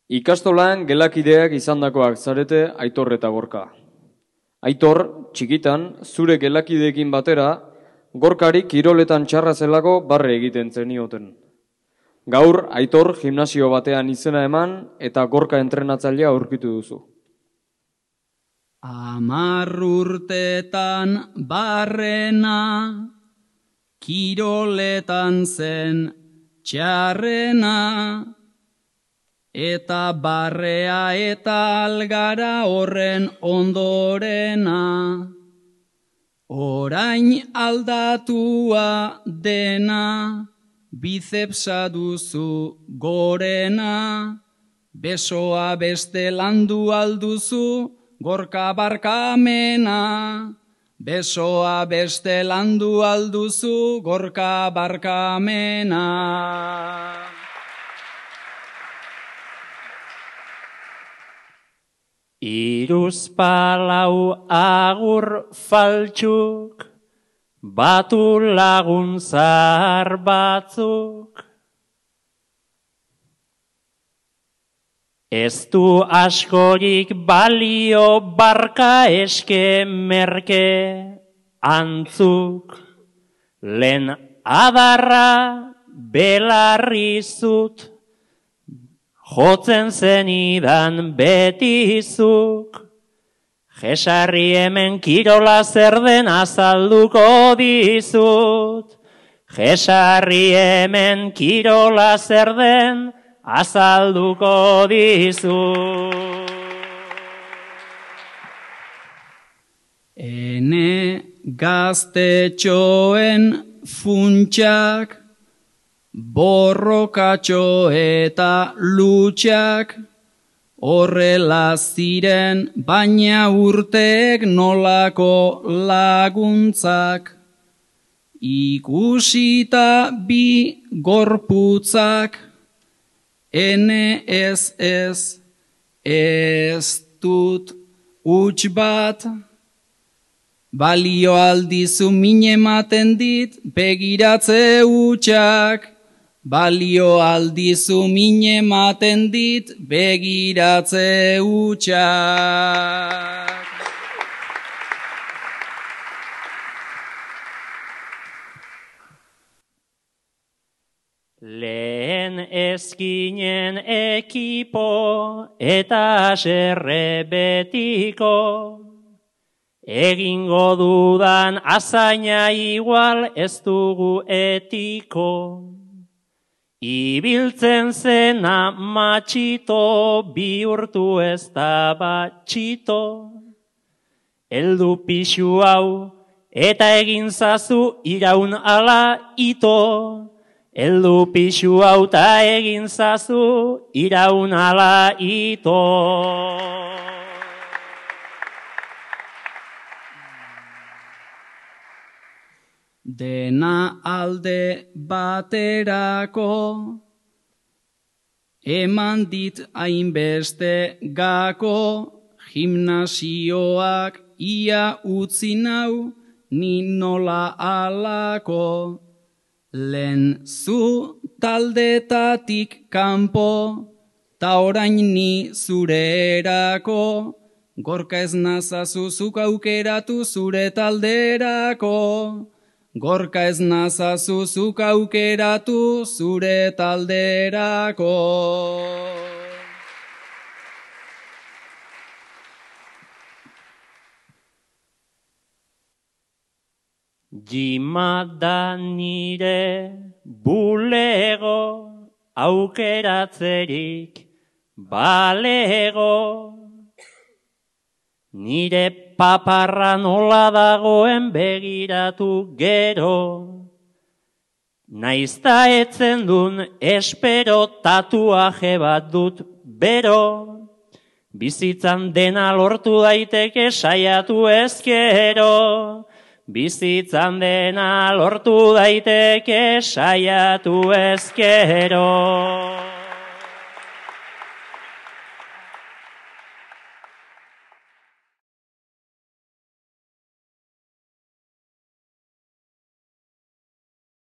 Ikastolan gelakideak izandakoak zarete Aitor eta Gorka. Aitor, txikitan, zure gelakideekin batera, Gorkari kiroletan txarra zelako barre egiten zenioten. Gaur, Aitor gimnasio batean izena eman eta Gorka entrenatzailea aurkitu duzu. 10 urtetan barrena, kiroletan zen txarrena, eta barrea eta algara horren ondorena. Orain aldatua dena, bicepsa duzu gorena, besoa beste landu alduzu, Gorka barkamena. Besoa beste landu alduzu, Gorka barkamena. Hiruzpalau agur faltsuk, batu lagun zahar batzuk. Ez du askorik balio barka eske merke antzuk. Lehen adarra belarri zut, jotzen zenidan betizuk. Jesarri hemen kirola zer den azalduko dizut. Jesarri hemen kirola zer den azalduko dizut. Ene gaztetxoen funtsak, borrokatxo eta lutsak, horrela ziren baina urteek nolako laguntzak. Ikusita bi gorputzak, ene ez dut huts bat. Balio aldizu min ematen dit begiratze hutsak. Balio aldizu min ematen dit begiratze hutsak. Lehen ezkinen ekipo eta haserre betiko. Egingo dudan azaina igual ez dugu etiko. Ibiltzen zena matxito, bihurtu ez da batxito. Heldu pixu hau eta egin zazu iraun ala ito. Heldu pixu hau eta egin zazu iraun ala ito. Dena alde baterako, eman dit hainbeste gako, gimnasioak ia utzi nau, ni nola alako. Lehen zu taldetatik kanpo, ta orain ni zure erako, Gorka ez nazazu zuk aukeratu zure talderako. Gorka ez nazazu zuk aukeratu zure talderako. Jima da nire bulego, aukeratzerik balego. Nire paparra nola dagoen begiratu gero. Naizta etzen dun espero tatuaje bat dut bero. Bizitzan dena lortu daiteke saiatu ezkero. Bizitzan dena lortu daiteke saiatu ezkero.